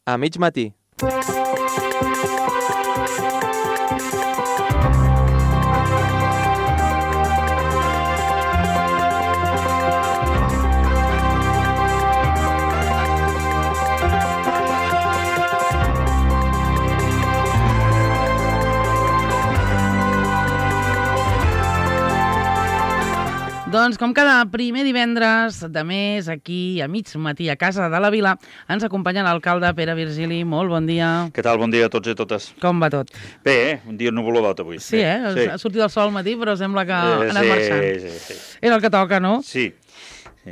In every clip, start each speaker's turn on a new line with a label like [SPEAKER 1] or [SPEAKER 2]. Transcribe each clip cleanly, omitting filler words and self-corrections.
[SPEAKER 1] A mig matí.
[SPEAKER 2] Doncs com cada primer divendres de mes, aquí a mig matí a Casa de la Vila, ens acompanya l'alcalde Pere Virgili. Molt bon dia.
[SPEAKER 3] Què tal? Bon dia a tots i a totes.
[SPEAKER 2] Com va tot?
[SPEAKER 3] Bé, un dia nuvolodot avui.
[SPEAKER 2] Sí,
[SPEAKER 3] Sí.
[SPEAKER 2] Ha sortit el sol al matí, però sembla que ha anat marxant.
[SPEAKER 3] Sí.
[SPEAKER 2] Era el que toca, no?
[SPEAKER 3] Sí.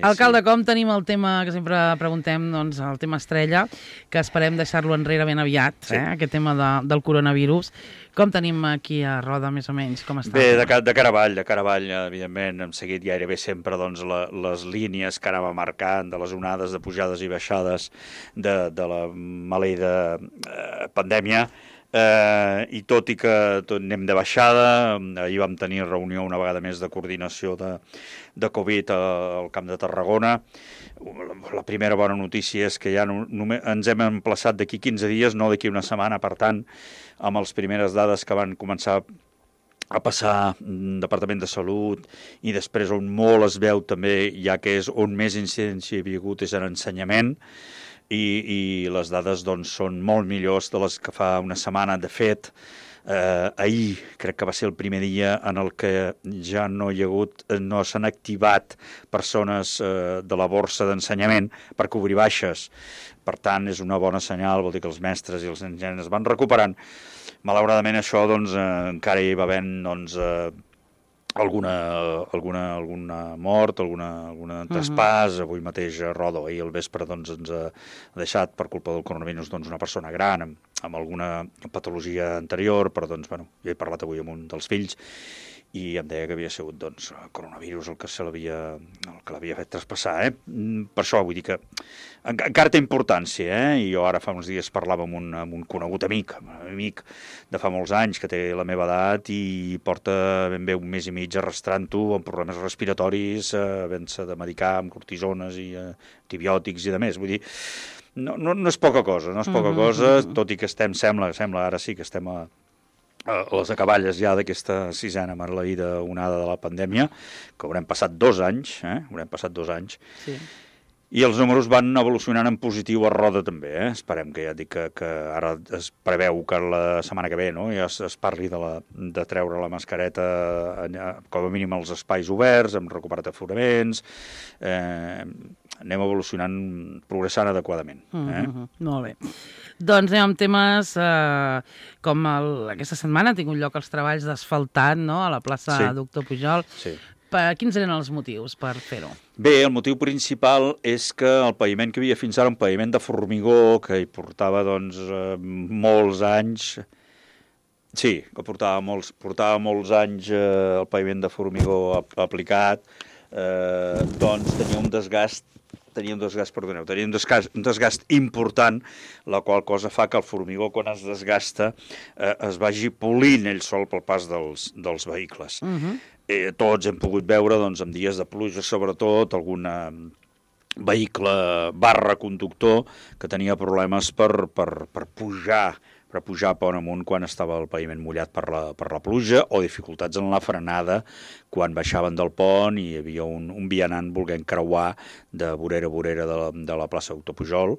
[SPEAKER 2] Alcalde, com tenim el tema que sempre preguntem, doncs el tema estrella, que esperem deixar-lo enrere ben aviat, aquest tema del coronavirus. Com tenim aquí a Roda, més o menys? Com està?
[SPEAKER 3] Bé, de cara avall, evidentment, hem seguit gairebé sempre doncs, les línies que anava marcant de les onades de pujades i baixades de la maleïda pandèmia. I tot i que anem de baixada, ahir vam tenir reunió una vegada més de coordinació de Covid al Camp de Tarragona. La primera bona notícia és que ja ens hem emplaçat d'aquí 15 dies, no d'aquí una setmana, per tant, amb les primeres dades que van començar a passar Departament de Salut i després on molt es veu també, ja que és on més incidència hi havia hagut, és en ensenyament, i les dades doncs, són molt millors de les que fa una setmana. De fet, ahir crec que va ser el primer dia en el que ja no s'han activat persones de la borsa d'ensenyament per cobrir baixes. Per tant, és una bona senyal, vol dir que els mestres i els ensenyants es van recuperant. Malauradament això doncs, encara hi va havent doncs, alguna mort, alguna traspàs. Avui mateix a Roda, ahir al vespre doncs, ens ha deixat per culpa del coronavirus doncs, una persona gran amb alguna patologia anterior, però doncs, bueno, jo he parlat avui amb un dels fills i em deia que havia sigut doncs, coronavirus el que l'havia fet traspassar. Per això vull dir que encara té importància. I jo ara fa uns dies parlava amb un conegut amic de fa molts anys que té la meva edat i porta ben bé un mes i mig arrastrant-ho amb problemes respiratoris, havent-se de medicar amb cortisones i antibiòtics i de més. Vull dir, no és poca cosa, tot i que sembla ara sí que estem a les acaballes ja d'aquesta sisena maleïda onada de la pandèmia, que haurem passat 2 anys,
[SPEAKER 2] Sí.
[SPEAKER 3] I els números van evolucionant en positiu a Roda també. Esperem que ja dic que ara es preveu que la setmana que ve ja es parli de treure la mascareta com a mínim als espais oberts, hem recuperat aforaments, anem evolucionant, progressant adequadament.
[SPEAKER 2] Molt bé. Doncs anem amb temes com aquesta setmana ha tingut lloc els treballs d'asfaltat a la plaça Doctor Pujol.
[SPEAKER 3] Sí.
[SPEAKER 2] Quins eren els motius per fer-ho?
[SPEAKER 3] Bé, el motiu principal és que el paviment que havia fins ara, un paviment de formigó, que hi portava doncs, molts anys... Sí, que portava molts anys el paviment de formigó aplicat, doncs tenia un desgast important, la qual cosa fa que el formigó, quan es desgasta, es vagi polint ell sol pel pas dels vehicles. Tots hem pogut veure, doncs, en dies de pluja, sobretot, algun vehicle /conductor que tenia problemes per pujar pont amunt quan estava el paviment mullat per la pluja, o dificultats en la frenada quan baixaven del pont i hi havia un vianant volent creuar de vorera a vorera de la plaça Doctor Pujol.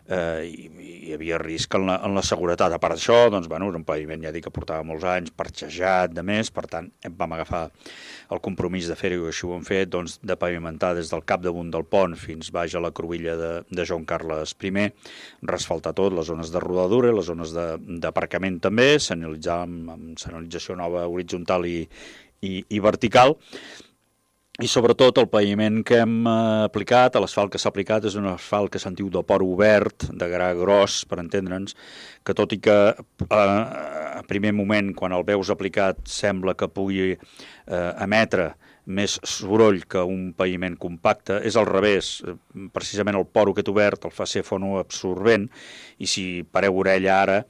[SPEAKER 3] Hi havia risc en la seguretat. A part d'això, doncs, era un paviment, ja dic, que portava molts anys, parxejat, de més, per tant, vam agafar el compromís de fer-ho, i així ho hem fet, doncs, de pavimentar des del capdamunt del pont fins baix a la cruïlla de Joan Carles I, resfaltar tot, les zones de rodadura, les zones d'aparcament també, senyalitzar amb senyalització nova horitzontal i vertical. I sobretot el paviment que hem aplicat, l'asfalt que s'ha aplicat, és un asfalt que se'n diu de poro obert, de gra gros, per entendre'ns, que tot i que a primer moment, quan el veus aplicat, sembla que pugui emetre més soroll que un paviment compacte, és al revés. Precisament el poro aquest obert el fa ser fonoabsorbent, i si pareu orella ara,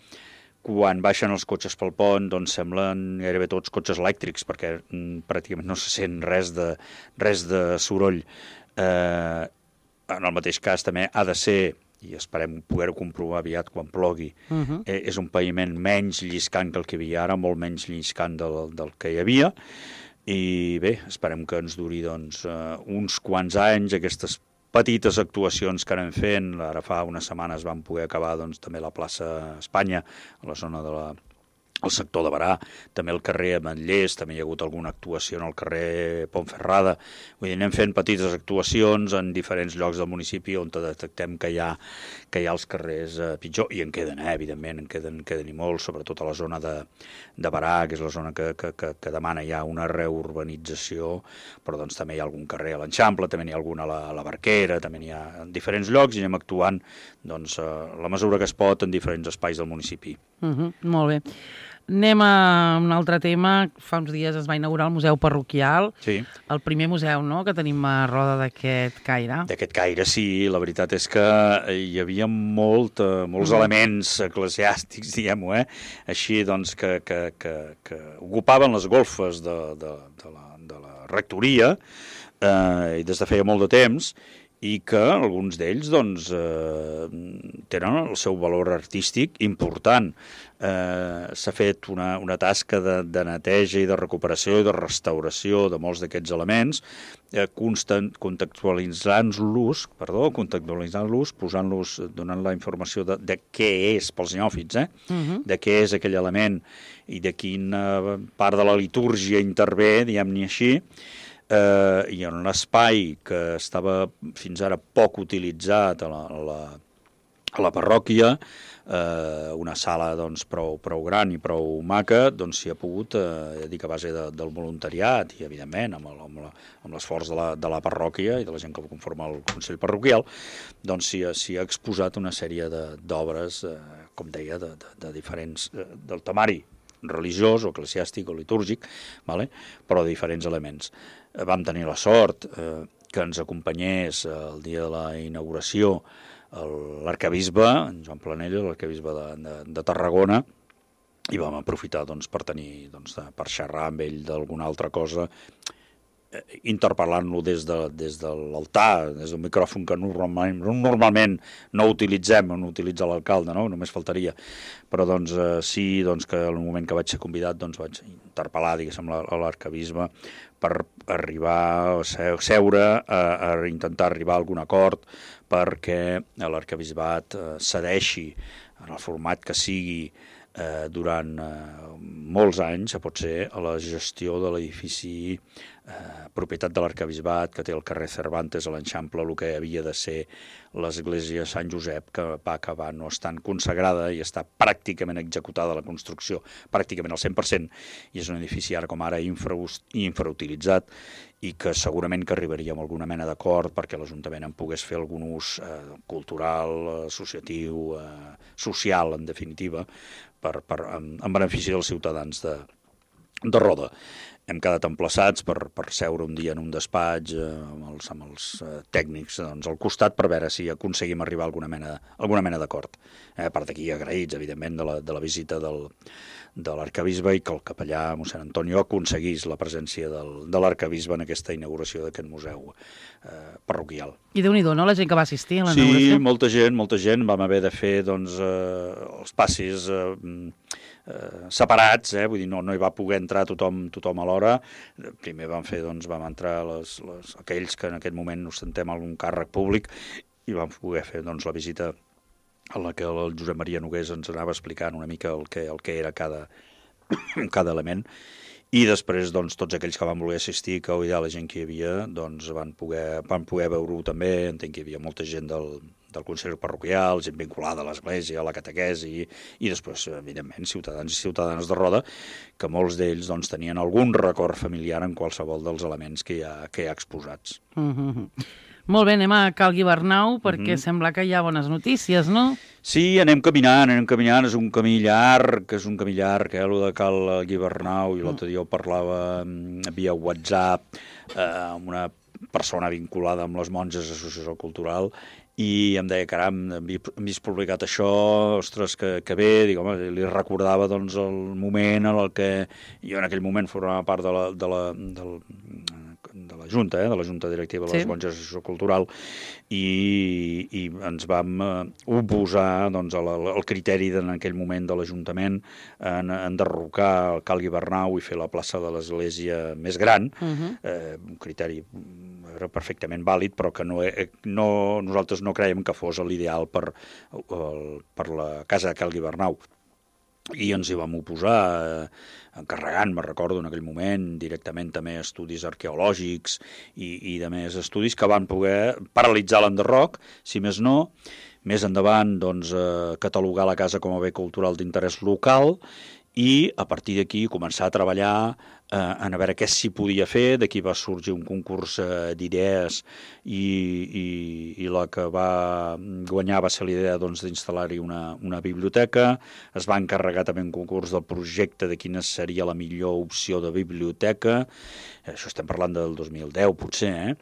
[SPEAKER 3] quan baixen els cotxes pel pont, doncs semblen gairebé tots cotxes elèctrics, perquè pràcticament no se sent res de soroll. En el mateix cas també ha de ser i esperem poder-ho comprovar aviat quan plogui, és un paviment menys lliscant que el que hi havia ara, molt menys lliscant del que hi havia, i bé, esperem que ens duri doncs, uns quants anys aquestes petites actuacions que anem fent. Ara fa unes setmanes vam poder acabar doncs, també la plaça Espanya, a la zona el sector de Barà, també el carrer Ametllers, també hi ha hagut alguna actuació en el carrer Pontferrada. Vull dir, anem fent petites actuacions en diferents llocs del municipi on detectem que hi ha els carrers pitjor, i en queden, evidentment, en queden i molt, sobretot a la zona de Barà, que és la zona que demana ja una reurbanització, però doncs també hi ha algun carrer a l'Eixample, també n'hi ha algun a la Barquera, també n'hi ha en diferents llocs, i anem actuant doncs, la mesura que es pot en diferents espais del municipi.
[SPEAKER 2] Molt bé. Anem a un altre tema. Fa uns dies es va inaugurar el Museu Parroquial,
[SPEAKER 3] sí.
[SPEAKER 2] El primer museu, no?, que tenim a Roda d'aquest caire.
[SPEAKER 3] D'aquest caire, sí. La veritat és que hi havia molts elements eclesiàstics, diguem-ho, així doncs, que ocupaven les golfes de la rectoria, i des de feia molt de temps, i que alguns d'ells doncs, tenen el seu valor artístic important. S'ha fet una tasca de neteja i de recuperació i de restauració de molts d'aquests elements, contextualitzant-los, posant-los, donant la informació de què és, pels neòfits, de què és aquell element i de quina part de la litúrgia intervé, diguem-ne així, i en un espai que estava fins ara poc utilitzat a la parròquia, una sala doncs, prou gran i prou maca, doncs s'hi ha pogut, dic, a base del voluntariat i, evidentment, amb l'esforç de la parròquia i de la gent que conforma el Consell Parroquial, doncs s'hi ha exposat una sèrie d'obres, com deia, de diferents, del temari religiós o eclesiàstic o litúrgic, però de diferents elements. Vam tenir la sort que ens acompanyés el dia de la inauguració l'arcabisbe, en Joan Planella, l'arcabisbe de Tarragona, i vam aprofitar doncs, per xerrar amb ell d'alguna altra cosa, interpel·lant-lo des de l'altar, des del micròfon que normalment no utilitzem, no utilitza l'alcalde, no? Només faltaria. Però doncs, sí que en el moment que vaig ser convidat vaig interpel·lar, diguéssim, a l'arcabisbe per arribar a seure, a intentar arribar a algun acord perquè l'arcabisbat cedeixi en el format que sigui durant molts anys, pot ser, a la gestió de l'edifici propietat de l'arcabisbat, que té el carrer Cervantes a l'Eixample, el que havia de ser l'església Sant Josep, que va acabar no estant consagrada i està pràcticament executada la construcció, pràcticament al 100%, i és un edifici ara com ara infrautilitzat, i que segurament que arribaríem a alguna mena d'acord perquè l'Ajuntament en pogués fer algun ús cultural, associatiu, social, en definitiva, en benefici dels ciutadans de Roda. Hem quedat emplaçats per seure un dia en un despatx amb els tècnics al costat per veure si aconseguim arribar a alguna mena d'acord. A part d'aquí, agraïts, evidentment, de la visita de l'arcabisbe i que el capellà, mossèn Antonio, aconseguís la presència de l'arcabisbe en aquesta inauguració d'aquest museu parroquial.
[SPEAKER 2] I Déu-n'hi-do, no?, la gent que va assistir a la inauguració.
[SPEAKER 3] Sí, molta gent. Vam haver de fer els passis separats, vull dir, no hi va poder entrar tothom alhora. Primer vam entrar aquells que en aquest moment ostentem algun càrrec públic i vam poder fer la visita en la que el Josep Maria Nogués ens anava explicant una mica el que era cada element. I després, tots aquells que van voler assistir, que la gent que hi havia, van poder veure-ho també. Entenc que hi havia molta gent del Consell Parroquial, gent vinculada a l'Església, a la catequesi, i després, evidentment, ciutadans i ciutadanes de Roda, que molts d'ells tenien algun record familiar en qualsevol dels elements que hi ha exposats.
[SPEAKER 2] Molt bé, anem a Cal Guibernau, perquè sembla que hi ha bones notícies, no?
[SPEAKER 3] Sí, anem caminant, és un camí llarg, el de Cal Guibernau, i l'altre dia ho parlava via WhatsApp amb una persona vinculada amb les monges d'Associació Cultural, i em deia, caram, hem vist publicat això, ostres, que bé, dic, home, li recordava el moment en el que jo en aquell moment formava part de la Junta, de la Junta Directiva de les Monges d'Associació Cultural, i ens vam oposar doncs, al criteri en aquell moment de l'Ajuntament en enderrocar el Cal Guibernau i fer la plaça de l'Església més gran, un criteri era perfectament vàlid, però que nosaltres no creiem que fos l'ideal per la casa de Cal Guibernau. I ens hi vam oposar, encarregant, me'n recordo en aquell moment, directament també estudis arqueològics i de més estudis que van poder paralitzar l'enderroc, si més no, més endavant doncs, catalogar la casa com a bé cultural d'interès local i a partir d'aquí començar a treballar a veure què s'hi podia fer. D'aquí va sorgir un concurs d'idees i la que va guanyar va ser l'idea doncs, d'instal·lar-hi una biblioteca. Es va encarregar també un concurs del projecte de quina seria la millor opció de biblioteca. Això estem parlant del 2010 potser,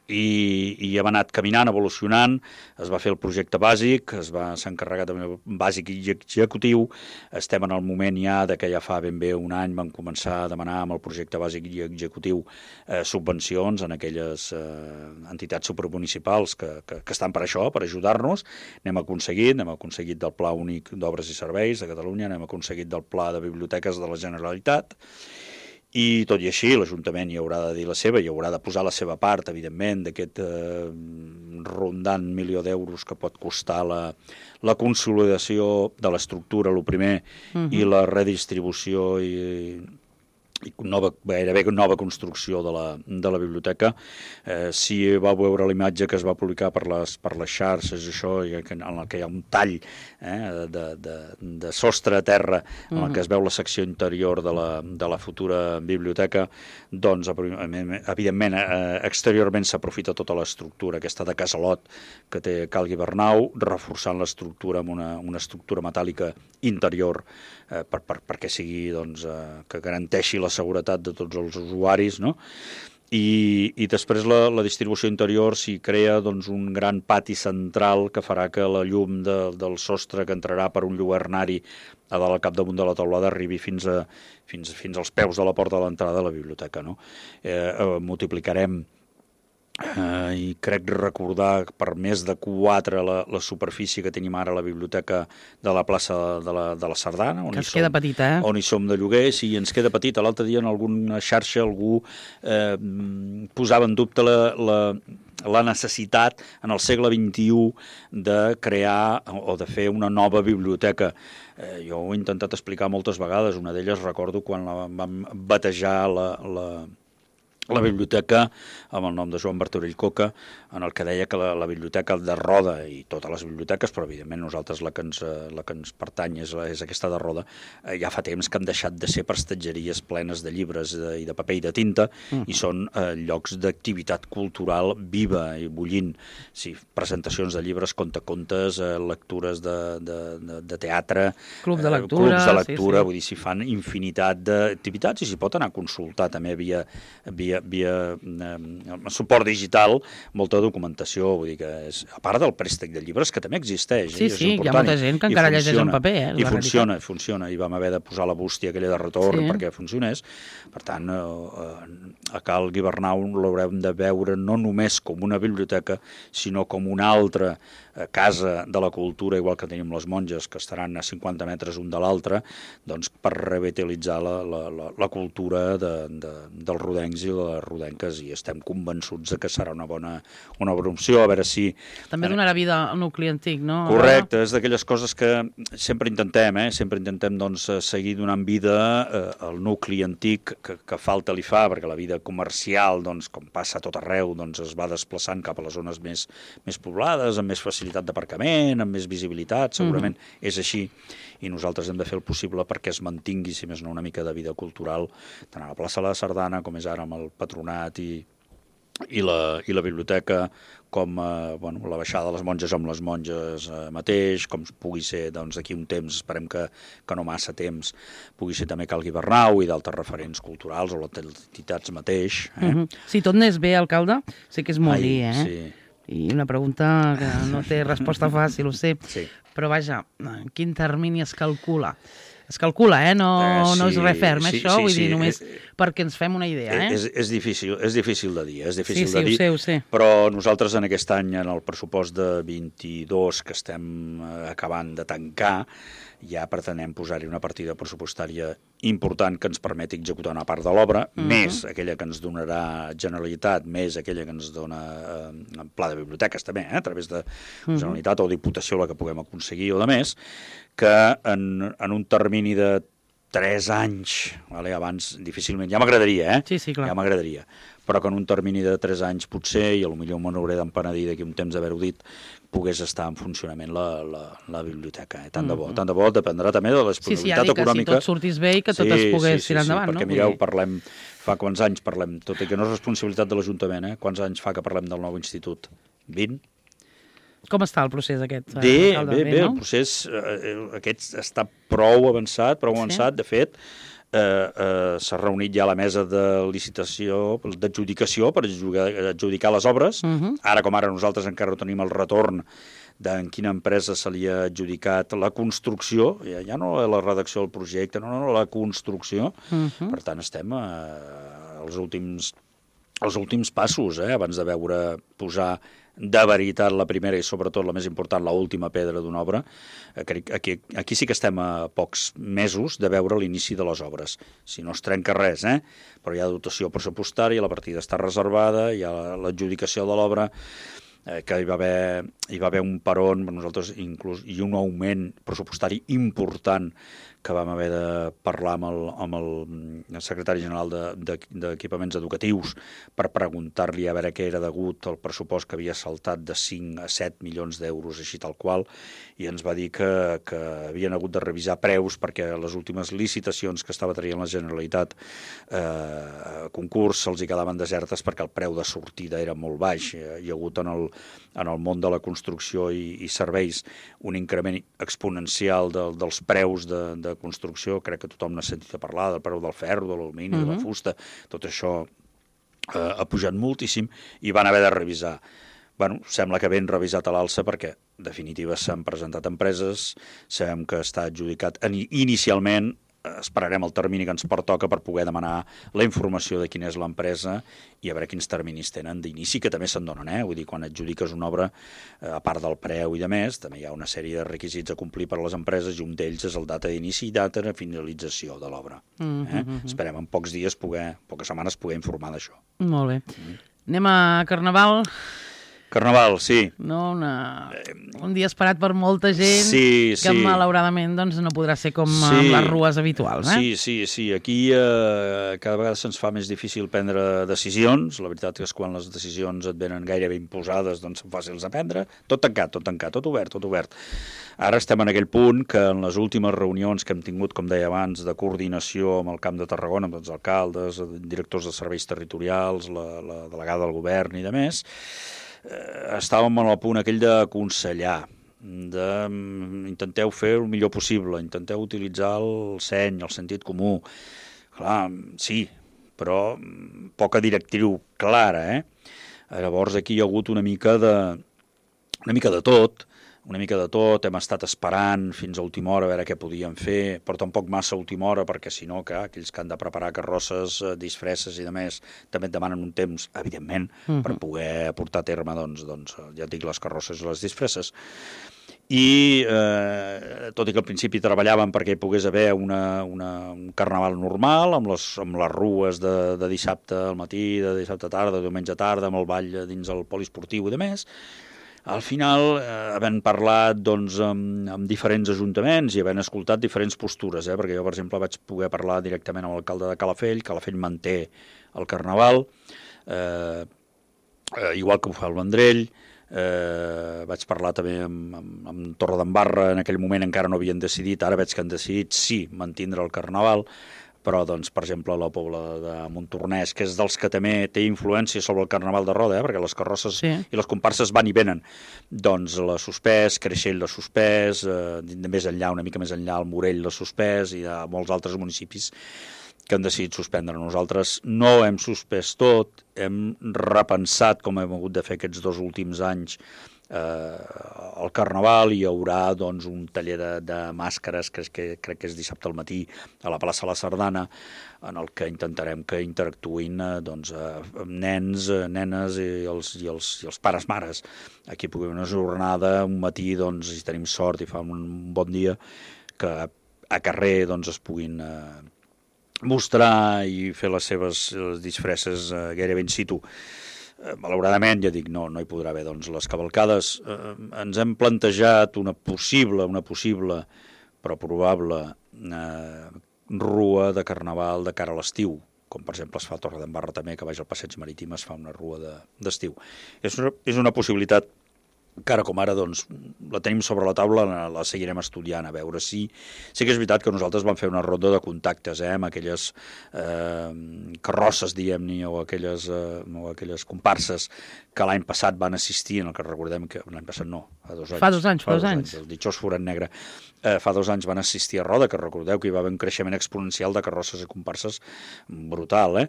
[SPEAKER 3] i hem anat caminant, evolucionant. Es va fer el projecte bàsic, s'ha encarregat també el bàsic i executiu. Estem en el moment ja que ja fa ben bé un any vam començar a demanar amb el projecte bàsic i executiu subvencions en aquelles entitats supramunicipals que estan per això, per ajudar-nos. N'hem aconseguit del Pla Únic d'Obres i Serveis de Catalunya, n'hem aconseguit del Pla de Biblioteques de la Generalitat. I tot i així, l'Ajuntament hi haurà de dir la seva, hi haurà de posar la seva part, evidentment, d'aquest rondant milió d'euros que pot costar la consolidació de l'estructura, el primer, i la redistribució i gairebé nova construcció de la biblioteca. Si vau veure la imatge que es va publicar per les xarxes, això, en el que hi ha un tall de sostre a terra en el que es veu la secció interior de la futura biblioteca, doncs, evidentment, exteriorment s'aprofita tota l'estructura aquesta de casalot que té Cal Guibernau, reforçant l'estructura amb una estructura metàl·lica interior perquè sigui, doncs, que garanteixi la seguretat de tots els usuaris, no? I després la distribució interior s'hi crea doncs, un gran pati central que farà que la llum del sostre que entrarà per un lluernari a dalt al capdamunt de la teulada arribi fins als peus de la porta de l'entrada de la biblioteca, no? Multiplicarem i crec recordar per més de 4 la superfície que tenim ara a la biblioteca de la plaça de la Sardana,
[SPEAKER 2] que es queda petita,
[SPEAKER 3] on hi som de lloguer. Sí, ens queda petita. L'altre dia en alguna xarxa algú posava en dubte la necessitat en el segle XXI de crear o de fer una nova biblioteca. Jo ho he intentat explicar moltes vegades. Una d'elles recordo quan vam batejar la biblioteca amb el nom de Joan Martorell Coca, en el que deia que la biblioteca de Roda, i totes les biblioteques, però evidentment nosaltres la que ens pertany és aquesta de Roda, ja fa temps que han deixat de ser prestatgeries plenes de llibres i de paper i de tinta, i són llocs d'activitat cultural viva i bullint. Sí, presentacions de llibres, contacontes, lectures de teatre,
[SPEAKER 2] clubs de lectura,
[SPEAKER 3] sí. Vull dir, s'hi fan infinitat d'activitats i s'hi pot anar a consultar també via suport digital, molta documentació, vull dir que a part del préstec de llibres, que també existeix.
[SPEAKER 2] Sí, hi ha molta gent que encara llegeix en paper.
[SPEAKER 3] I funciona, i vam haver de posar la bústia aquella de retorn perquè funcionés. Per tant, a Cal Guibernau l'haurem de veure no només com una biblioteca, sinó com una altra casa de la cultura, igual que tenim les monges, que estaran a 50 metres un de l'altre, doncs per revitalitzar la cultura dels rodencs i les rodenques, i estem convençuts que serà una bona opció, a veure si...
[SPEAKER 2] També donarà vida al nucli antic, no?
[SPEAKER 3] Correcte, és d'aquelles coses que sempre intentem doncs, seguir donant vida al nucli antic que falta li fa, perquè la vida comercial, doncs, com passa a tot arreu, doncs, es va desplaçant cap a les zones més poblades, amb més facilitat d'aparcament, amb més visibilitat, segurament és així, i nosaltres hem de fer el possible perquè es mantingui, si més no, una mica de vida cultural, tant a la plaça de la Sardana, com és ara amb el patronat i la biblioteca, com la baixada de les monges amb les monges mateix, com pugui ser doncs, d'aquí un temps, esperem que no massa temps, pugui ser també Cal Guibernau i d'altres referents culturals o les entitats mateix.
[SPEAKER 2] Si tot anés bé, alcalde, sé que és molt dir,
[SPEAKER 3] Sí.
[SPEAKER 2] I una pregunta que no té resposta fàcil, ho sé,
[SPEAKER 3] sí.
[SPEAKER 2] Però vaja, en quin termini es calcula Es calcula, no és res ferm, això, vull dir, només
[SPEAKER 3] sí.
[SPEAKER 2] perquè ens fem una idea,
[SPEAKER 3] És difícil de dir,
[SPEAKER 2] Ho sé.
[SPEAKER 3] Però nosaltres en aquest any, en el pressupost de 22 que estem acabant de tancar, ja pretenem posar-hi una partida pressupostària important que ens permeti executar una part de l'obra, més aquella que ens donarà Generalitat, més aquella que ens dona Pla de Biblioteques també, a través de Generalitat o Diputació, la que puguem aconseguir o de més, que en un termini de 3 anys, vale? Abans difícilment, ja m'agradaria,
[SPEAKER 2] Sí, clar.
[SPEAKER 3] Ja m'agradaria, però que en un termini de 3 anys potser, i potser me n'hauré d'empenedir d'aquí un temps d'haver-ho dit, pogués estar en funcionament la biblioteca. Tant de bo, dependrà també de la disponibilitat econòmica.
[SPEAKER 2] Si tot sortís bé i que tot es pogués tirar endavant,
[SPEAKER 3] perquè mireu, parlem, fa quants anys parlem, tot i que no és responsabilitat de l'Ajuntament, quants anys fa que parlem del nou institut? 20?
[SPEAKER 2] Com està el procés aquest?
[SPEAKER 3] Bé, el procés aquest està prou avançat, de fet, s'ha reunit ja la mesa de licitació, d'adjudicació, per adjudicar les obres. Ara com ara nosaltres encara no tenim el retorn en quina empresa se li ha adjudicat la construcció, ja no la redacció del projecte, no, la construcció. Per tant, estem als últims passos, abans de veure posar de veritat la primera i sobretot la més important, l'última pedra d'una obra. Aquí sí que estem a pocs mesos de veure l'inici de les obres. Si no es trenca res, però hi ha dotació pressupostària, la partida està reservada, hi ha l'adjudicació de l'obra, que hi va haver un peron, nosaltres inclús, i un augment pressupostari important que vam haver de parlar amb el secretari general d'Equipaments Educatius per preguntar-li a veure què era degut al pressupost que havia saltat de 5 a 7 milions d'euros, així tal qual, i ens va dir que havien hagut de revisar preus perquè les últimes licitacions que estava traient la Generalitat concurs se'ls hi quedaven desertes perquè el preu de sortida era molt baix. Hi ha hagut en el món de la construcció i serveis un increment exponencial dels preus de construcció, crec que tothom n'ha sentit a parlar, del preu del ferro, de l'alumini, de la fusta, tot això ha pujat moltíssim i van haver de revisar. Bueno, sembla que ben revisat a l'alça perquè, en definitiva, s'han presentat empreses, sabem que està adjudicat inicialment, esperarem el termini que ens pertoca per poder demanar la informació de quina és l'empresa i a veure quins terminis tenen d'inici, que també se'n donen, Vull dir, quan adjudiques una obra, a part del preu i de més, també hi ha una sèrie de requisits a complir per a les empreses i un d'ells és el data d'inici i data de finalització de l'obra. Esperem en pocs dies, poques setmanes, poder informar d'això.
[SPEAKER 2] Molt bé. Anem a Carnaval.
[SPEAKER 3] Carnaval, sí.
[SPEAKER 2] No, un dia esperat per molta gent que malauradament doncs, no podrà ser com amb les rues habituals.
[SPEAKER 3] Sí. Aquí cada vegada se'ns fa més difícil prendre decisions. La veritat és que quan les decisions et venen gairebé imposades doncs són fàcils de prendre. Tot tancat, tot obert. Ara estem en aquell punt que en les últimes reunions que hem tingut, com deia abans, de coordinació amb el Camp de Tarragona, amb els alcaldes, directors de serveis territorials, la delegada del govern i de més, estàvem en el punt aquell d'aconsellar, intenteu fer el millor possible, intenteu utilitzar el seny, el sentit comú. Clar, sí, però poca directriu clara, Llavors aquí hi ha hagut una mica de tot, hem estat esperant fins a última hora a veure què podíem fer, però tampoc massa a última hora, perquè si no, aquells que han de preparar carrosses, disfresses i de més, també et demanen un temps, evidentment, per poder portar a terme, doncs, ja et dic, les carrosses i les disfresses. I tot i que al principi treballàvem perquè hi pogués haver un carnaval normal, amb les rues de dissabte al matí, de dissabte tarda, de diumenge tarda, amb el ball dins el poliesportiu i de més, al final, havent parlat amb diferents ajuntaments i havent escoltat diferents postures, perquè jo, per exemple, vaig poder parlar directament amb l'alcalde de Calafell manté el carnaval, igual que ho fa el Vendrell, vaig parlar també amb Torredembarra, en aquell moment encara no havien decidit, ara veig que han decidit sí mantindre el carnaval, però, doncs, per exemple, la Pobla de Montornès, que és dels que també té influència sobre el Carnaval de Roda, perquè les carrosses i les comparses van i venen, doncs l'ha suspès, Creixell l'ha suspès, més enllà, una mica més enllà, el Morell l'ha suspès, i hi ha molts altres municipis que han decidit suspendre. Nosaltres no hem suspès tot, hem repensat com hem hagut de fer aquests 2 últims anys al Carnaval hi haurà doncs, un taller de màscares que crec que és dissabte al matí a la plaça La Sardana, en el que intentarem que interactuïn doncs, nens, nenes i els pares mares. Aquí pugui haver una jornada, un matí, doncs, si tenim sort i fa un bon dia, que a carrer doncs, es puguin mostrar i fer les seves disfresses gairebé in situ. Malauradament, ja dic, no hi podrà haver doncs, les cavalcades. Ens hem plantejat una possible, però probable, rua de carnaval de cara a l'estiu, com per exemple es fa a Torredembarra també, que baix al passeig marítim es fa una rua d'estiu. És una possibilitat que ara com ara doncs, la tenim sobre la taula, la seguirem estudiant, a veure si... Sí que és veritat que nosaltres vam fer una ronda de contactes amb aquelles carrosses, diguem-ne, o aquelles comparses que l'any passat van assistir, en el que recordem que... L'any passat no, fa 2 anys.
[SPEAKER 2] Fa 2 anys.
[SPEAKER 3] El ditxós forat negre. Fa 2 anys van assistir a Roda, que recordeu que hi va haver un creixement exponencial de carrosses i comparses brutal,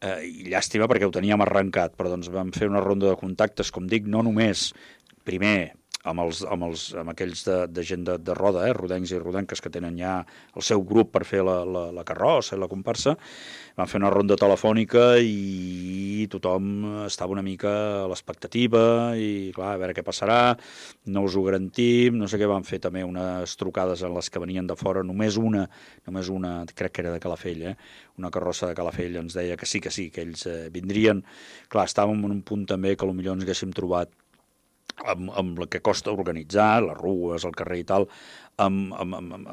[SPEAKER 3] i llàstima perquè ho teníem arrencat, però doncs vam fer una ronda de contactes, com dic, no només primer amb aquells de gent de Roda, rodencs i rodenques que tenen ja el seu grup per fer la carrossa i la comparsa. Van fer una ronda telefònica i tothom estava una mica a l'expectativa i, clar, a veure què passarà, no us ho garantim, no sé què. Van fer també unes trucades en les que venien de fora, només una, crec que era de Calafell, una carrossa de Calafell ens deia que sí, que ells vindrien. Clar, estàvem en un punt també que potser ens haguéssim trobat amb el que costa organitzar, les rues, el carrer i tal, amb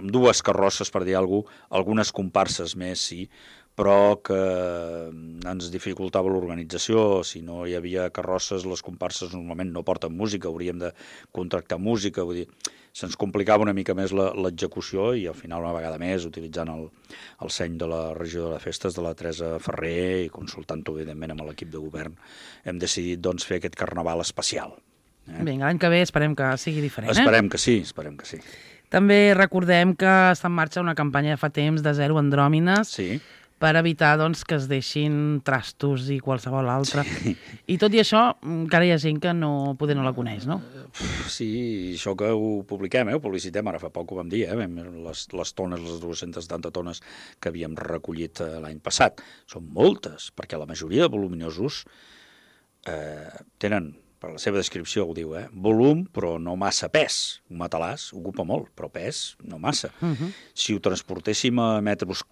[SPEAKER 3] 2 carrosses, per dir alguna cosa, algunes comparses més, sí, però que ens dificultava l'organització. Si no hi havia carrosses, les comparses normalment no porten música, hauríem de contractar música, vull dir, se'ns complicava una mica més l'execució i al final una vegada més, utilitzant el seny de la regidora de festes, de la Teresa Ferrer, i consultant-ho evidentment amb l'equip de govern, hem decidit doncs, fer aquest carnaval especial.
[SPEAKER 2] Vinga, l'any que ve esperem que sigui diferent.
[SPEAKER 3] Esperem que sí.
[SPEAKER 2] També recordem que està en marxa una campanya de fa temps de zero andròmines per evitar doncs, que es deixin trastos i qualsevol altre. Sí. I tot i això, encara hi ha gent que poder no la coneix, no?
[SPEAKER 3] Sí, això que ho publiquem, ho publicitem, ara fa poc ho vam dir, les tones, les 270 tones que havíem recollit l'any passat. Són moltes, perquè la majoria de voluminosos tenen, per la seva descripció ho diu, volum però no massa pes. Un matalàs ocupa molt, però pes no massa. Si ho transportéssim a metres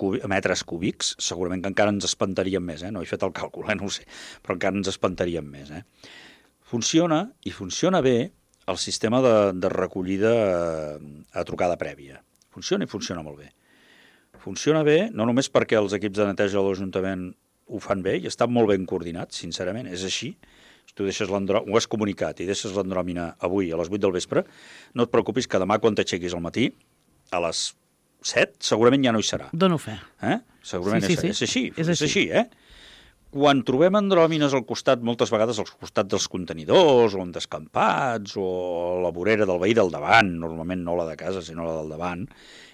[SPEAKER 3] cúbics, segurament que encara ens espantaríem més. No he fet el càlcul, no ho sé, però encara ens espantaríem més. Funciona, i funciona bé, el sistema de recollida a trucada prèvia. Funciona i funciona molt bé. Funciona bé no només perquè els equips de neteja de l'Ajuntament ho fan bé i estan molt ben coordinats, sincerament, és així. Si tu ho has comunicat i deixes l'andròmina avui a les 8 del vespre, no et preocupis que demà quan t'aixequis al matí, a les 7, segurament ja no hi serà.
[SPEAKER 2] Dono fe.
[SPEAKER 3] Segurament sí. És així. Quan trobem andròmines al costat, moltes vegades al costat dels contenidors, o en descampats, o a la vorera del veí del davant, normalment no la de casa, sinó la del davant,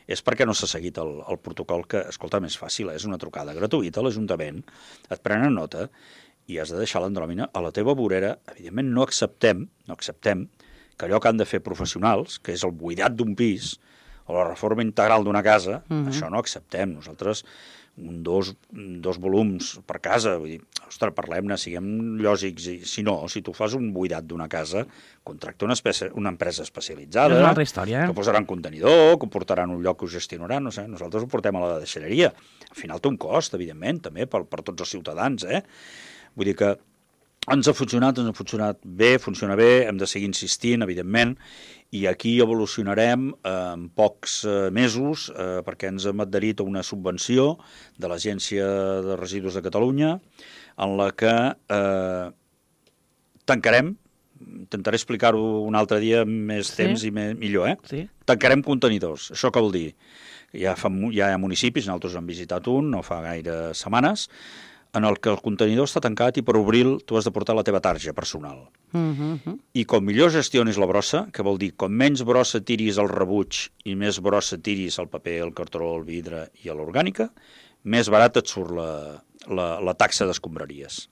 [SPEAKER 3] és perquè no s'ha seguit el protocol que, escolta, més fàcil, és una trucada gratuïta a l'Ajuntament, et prenen nota i has de deixar l'andròmina a la teva vorera. Evidentment no acceptem que allò que han de fer professionals, que és el buidat d'un pis o la reforma integral d'una casa, això no acceptem. Nosaltres, dos volums per casa, vull dir, ostres, parlem-ne, siguem lògics. Si tu fas un buidat d'una casa, contracta una empresa especialitzada,
[SPEAKER 2] és una altra història,
[SPEAKER 3] que posaran contenidor, que ho portaran a un lloc que ho gestionaran, no sé, nosaltres ho portem a la deixalleria. Al final té un cost, evidentment, també, per tots els ciutadans, Vull dir que ens ha funcionat bé, funciona bé, hem de seguir insistint, evidentment, i aquí evolucionarem en pocs mesos perquè ens hem adherit a una subvenció de l'Agència de Residus de Catalunya en la que tancarem, intentaré explicar-ho un altre dia amb més temps i millor, tancarem contenidors. Això què vol dir? Ja hi ha municipis, nosaltres hem visitat un, no fa gaire setmanes, en el que el contenidor està tancat i per obrir-lo tu has de portar la teva tarja personal. I com millor gestionis la brossa, que vol dir com menys brossa tiris al rebuig i més brossa tiris al paper, al cartró, al vidre i a l'orgànica, més barat et surt la taxa d'escombraries.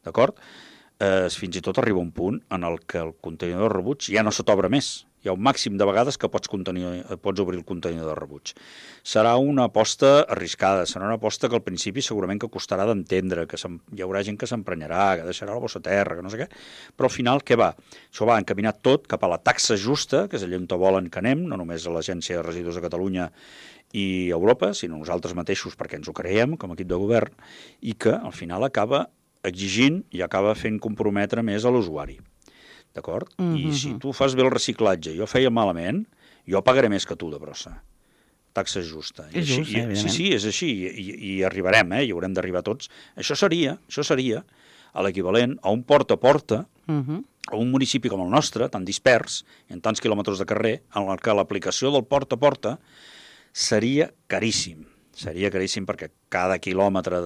[SPEAKER 3] D'acord? fins i tot arriba un punt en el que el contenidor de rebuig ja no se t'obre més. Hi ha un màxim de vegades que pots obrir el contenidor de rebuig. Serà una aposta arriscada, serà una aposta que al principi segurament que costarà d'entendre, que hi haurà gent que s'emprenyarà, que deixarà la bossa a terra, que no sé què, però al final què va? Això va encaminat tot cap a la taxa justa, que és allà on volen que anem, no només a l'Agència de Residus de Catalunya i Europa, sinó nosaltres mateixos perquè ens ho creiem com a equip de govern, i que al final acaba exigint i acaba fent comprometre més a l'usuari. D'acord? I si tu fas bé el reciclatge i jo feia malament, jo pagaré més que tu de brossa. Taxa justa.
[SPEAKER 2] És just, evidentment.
[SPEAKER 3] Sí, és així. I arribarem, i haurem d'arribar tots. Això seria a l'equivalent a un porta a porta, a un municipi com el nostre, tan dispers, en tants quilòmetres de carrer, en el que l'aplicació del porta a porta seria caríssim. Seria caríssim perquè cada quilòmetre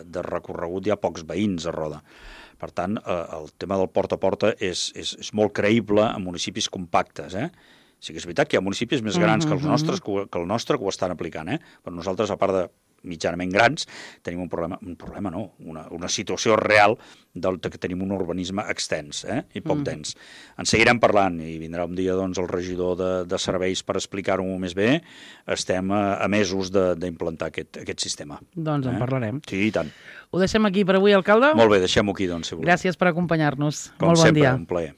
[SPEAKER 3] de recorregut hi ha pocs veïns a Roda. Per tant, el tema del porta a porta és molt creïble en municipis compactes. Sí que és veritat que hi ha municipis més grans que el nostre que ho estan aplicant, però nosaltres, a part de mitjanament grans, tenim un problema no, una situació real que tenim un urbanisme extens i poc dens. En seguirem parlant i vindrà un dia doncs, el regidor de serveis per explicar-ho més bé. Estem a mesos d'implantar aquest sistema.
[SPEAKER 2] Doncs en parlarem.
[SPEAKER 3] Sí, i tant.
[SPEAKER 2] Ho deixem aquí per avui, alcalde?
[SPEAKER 3] Molt bé, deixem-ho aquí, doncs, si voleu.
[SPEAKER 2] Gràcies per acompanyar-nos.
[SPEAKER 3] Com
[SPEAKER 2] Molt bon
[SPEAKER 3] sempre,
[SPEAKER 2] dia.
[SPEAKER 3] un plaer.